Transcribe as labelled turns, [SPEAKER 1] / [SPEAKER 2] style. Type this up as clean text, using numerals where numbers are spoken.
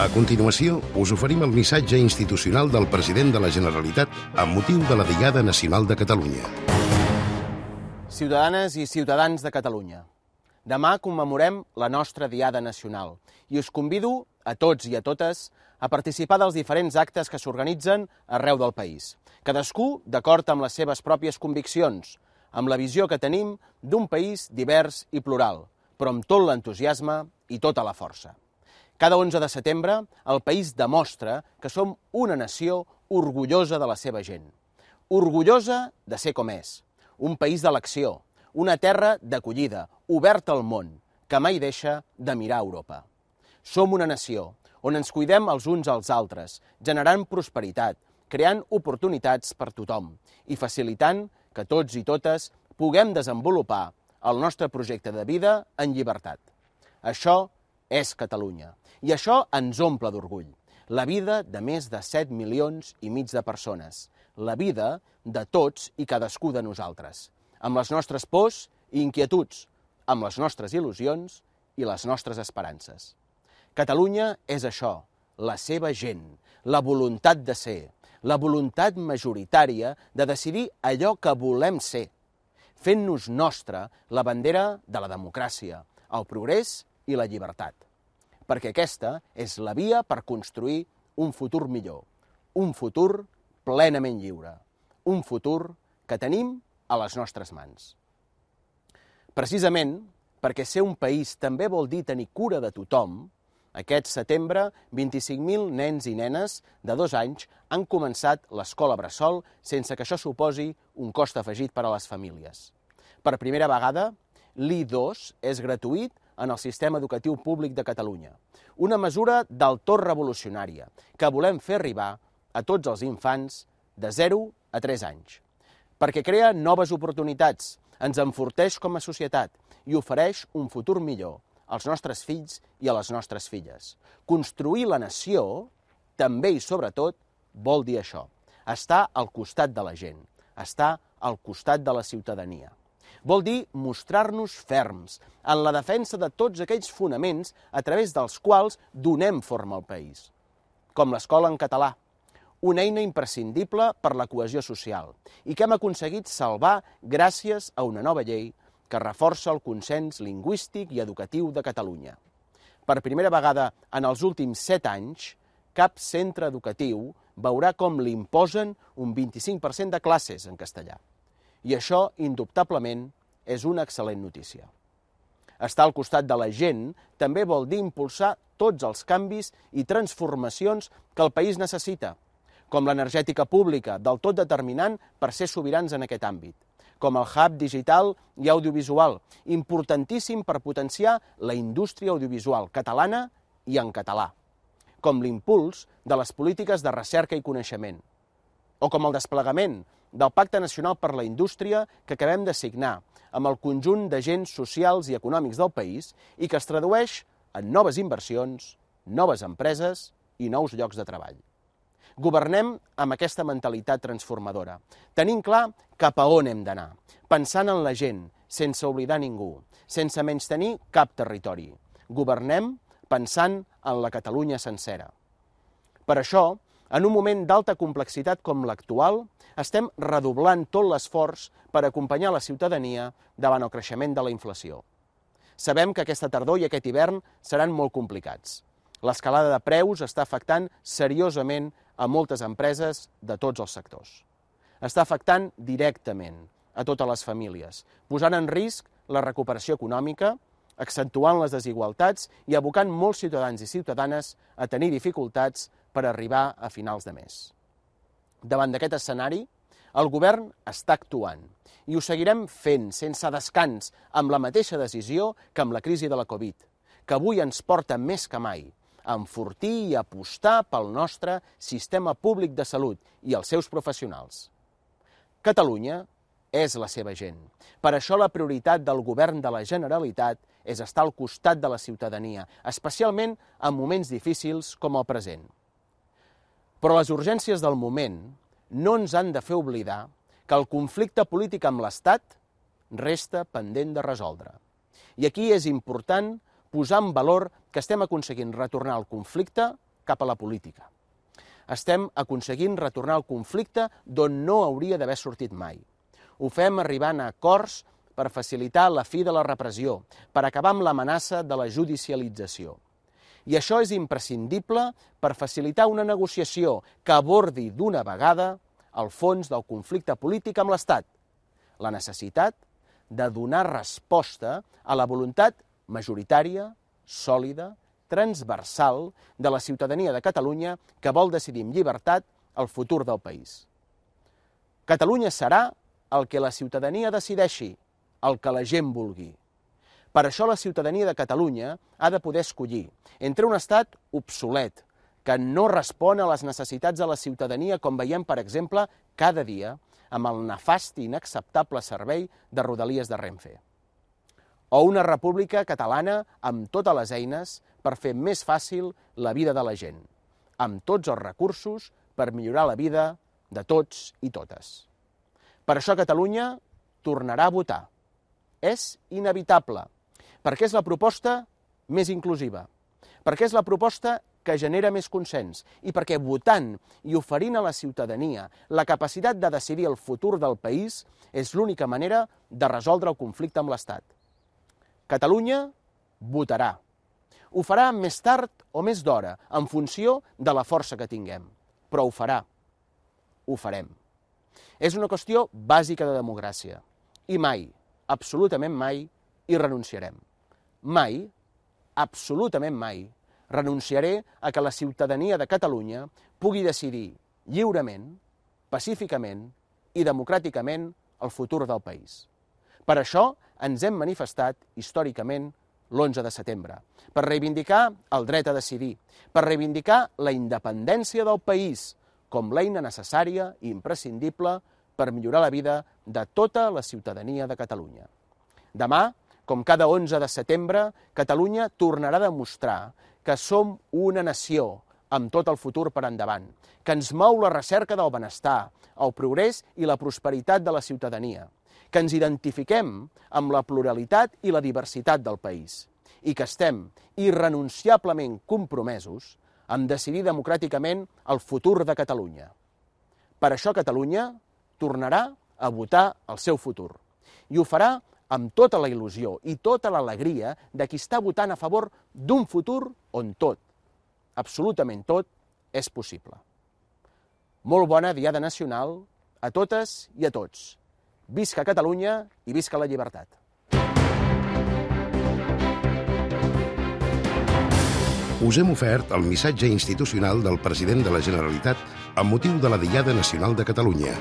[SPEAKER 1] A continuació, us oferim el missatge institucional del president de la Generalitat amb motiu de la Diada Nacional de Catalunya.
[SPEAKER 2] Ciutadanes i ciutadans de Catalunya, demà commemorem la nostra Diada Nacional i us convido a tots i a totes a participar dels diferents actes que s'organitzen arreu del país, cadascú d'acord amb les seves pròpies conviccions, amb la visió que tenim d'un país divers i plural, però amb tot l'entusiasme i tota la força. Cada 11 de setembre, el país demostra que som una nació orgullosa de la seva gent. Orgullosa de ser com és. Un país d'elecció, una terra d'acollida, oberta al món, que mai deixa de mirar a Europa. Som una nació on ens cuidem els uns als altres, generant prosperitat, creant oportunitats per tothom i facilitant que tots i totes puguem desenvolupar el nostre projecte de vida en llibertat. Això és Catalunya. I això ens omple d'orgull. La vida de més de 7,5 milions de persones. La vida de tots i cadascú de nosaltres. Amb les nostres pors i inquietuds, amb les nostres il·lusions i les nostres esperances. Catalunya és això, la seva gent, la voluntat de ser, la voluntat majoritària de decidir allò que volem ser, fent-nos nostra la bandera de la democràcia, el progrés i la llibertat. Perquè aquesta és la via per construir un futur millor, un futur plenament lliure, un futur que tenim a les nostres mans. Precisament perquè ser un país també vol dir tenir cura de tothom, aquest setembre 25.000 nens i nenes de 2 anys han començat l'escola bressol sense que això suposi un cost afegit per a les famílies. Per primera vegada, l'I2 és gratuït en el sistema educatiu públic de Catalunya. Una mesura del tot revolucionària que volem fer arribar a tots els infants de 0 a 3 anys. Perquè crea noves oportunitats, ens enforteix com a societat i ofereix un futur millor als nostres fills i a les nostres filles. Construir la nació, també i sobretot, vol dir això. Estar al costat de la gent, estar al costat de la ciutadania. Vol dir mostrar-nos ferms en la defensa de tots aquells fonaments a través dels quals donem forma al país. Com l'escola en català, una eina imprescindible per la cohesió social i que hem aconseguit salvar gràcies a una nova llei que reforça el consens lingüístic i educatiu de Catalunya. Per primera vegada en els últims 7 anys, cap centre educatiu veurà com li imposen un 25% de classes en castellà. I això, indubtablement, és una excel·lent notícia. Estar al costat de la gent també vol dir impulsar tots els canvis i transformacions que el país necessita, com l'energètica pública, del tot determinant per ser sobirans en aquest àmbit, com el hub digital i audiovisual, importantíssim per potenciar la indústria audiovisual catalana i en català, com l'impuls de les polítiques de recerca i coneixement, o com el desplegament del Pacte Nacional per la Indústria que acabem de signar amb el conjunt d'agents socials i econòmics del país i que es tradueix en noves inversions, noves empreses i nous llocs de treball. Governem amb aquesta mentalitat transformadora, tenint clar cap a on hem d'anar, pensant en la gent, sense oblidar ningú, sense menystenir cap territori. Governem pensant en la Catalunya sencera. Per això, en un moment d'alta complexitat com l'actual, estem redoblant tot l'esforç per acompanyar la ciutadania davant el creixement de la inflació. Sabem que aquesta tardor i aquest hivern seran molt complicats. L'escalada de preus està afectant seriosament a moltes empreses de tots els sectors. Està afectant directament a totes les famílies, posant en risc la recuperació econòmica, accentuant les desigualtats i abocant molts ciutadans i ciutadanes a tenir dificultats per arribar a finals de mes. Davant d'aquest escenari, el govern està actuant i ho seguirem fent sense descans amb la mateixa decisió que amb la crisi de la Covid, que avui ens porta més que mai a enfortir i apostar pel nostre sistema públic de salut i els seus professionals. Catalunya és la seva gent. Per això la prioritat del govern de la Generalitat és estar al costat de la ciutadania, especialment en moments difícils com el present. Però les urgències del moment no ens han de fer oblidar que el conflicte polític amb l'Estat resta pendent de resoldre. I aquí és important posar en valor que estem aconseguint retornar el conflicte cap a la política. Estem aconseguint retornar el conflicte d'on no hauria d'haver sortit mai. Ho fem arribant a acords per facilitar la fi de la repressió, per acabar amb l'amenaça de la judicialització. I això és imprescindible per facilitar una negociació que abordi d'una vegada el fons del conflicte polític amb l'Estat, la necessitat de donar resposta a la voluntat majoritària, sòlida, transversal de la ciutadania de Catalunya que vol decidir amb llibertat el futur del país. Catalunya serà el que la ciutadania decideixi, el que la gent vulgui. Per això la ciutadania de Catalunya ha de poder escollir entre un estat obsolet, que no respon a les necessitats de la ciutadania, com veiem, per exemple, cada dia, amb el nefast i inacceptable servei de Rodalies de Renfe. O una república catalana amb totes les eines per fer més fàcil la vida de la gent, amb tots els recursos per millorar la vida de tots i totes. Per això Catalunya tornarà a votar. És inevitable, perquè és la proposta més inclusiva, perquè és la proposta que genera més consens i perquè votant i oferint a la ciutadania la capacitat de decidir el futur del país és l'única manera de resoldre el conflicte amb l'Estat. Catalunya votarà. Ho farà més tard o més d'hora, en funció de la força que tinguem, però ho farà. Ho farem. És una qüestió bàsica de democràcia i mai, absolutament mai, hi renunciarem. Mai, absolutament mai, renunciaré a que la ciutadania de Catalunya pugui decidir lliurement, pacíficament i democràticament el futur del país. Per això ens hem manifestat històricament l'11 de setembre, per reivindicar el dret a decidir, per reivindicar la independència del país com l'eina necessària i imprescindible per millorar la vida de tota la ciutadania de Catalunya. Demà, com cada 11 de setembre, Catalunya tornarà a demostrar que som una nació amb tot el futur per endavant, que ens mou la recerca del benestar, el progrés i la prosperitat de la ciutadania, que ens identifiquem amb la pluralitat i la diversitat del país i que estem irrenunciablement compromesos en decidir democràticament el futur de Catalunya. Per això Catalunya tornarà a votar el seu futur i ho farà amb tota la il·lusió i tota l'alegria de qui està votant a favor d'un futur on tot, absolutament tot, és possible. Molt bona Diada Nacional a totes i a tots. Visca Catalunya i visca la llibertat.
[SPEAKER 1] Us hem ofert el missatge institucional del president de la Generalitat amb motiu de la Diada Nacional de Catalunya.